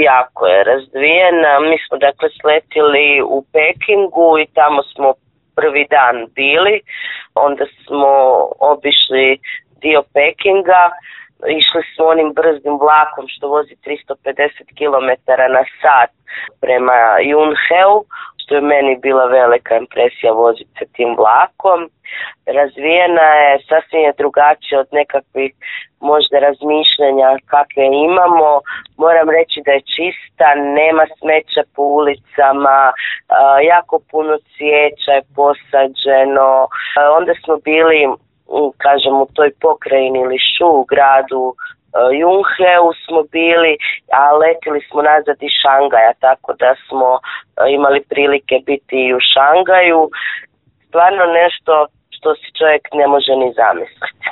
jako je razvijena. Mi smo dakle sletili u Pekingu i tamo smo prvi dan bili, onda smo obišli dio Pekinga, išli smo onim brzim vlakom što vozi 350 km na sat prema Yunheu, što je meni bila velika impresija voziti se tim vlakom. Razvijena je, sasvim je drugačija od nekakvih možda razmišljanja kakve imamo. Moram reći da je čista, nema smeća po ulicama, jako puno cvijeća je posađeno. Onda smo bili, kažem, u toj pokrajini Lišu, u gradu Yunheu smo bili, a letili smo nazad iz Šangaja, tako da smo imali prilike biti i u Šangaju. Stvarno nešto što si čovjek ne može ni zamisliti.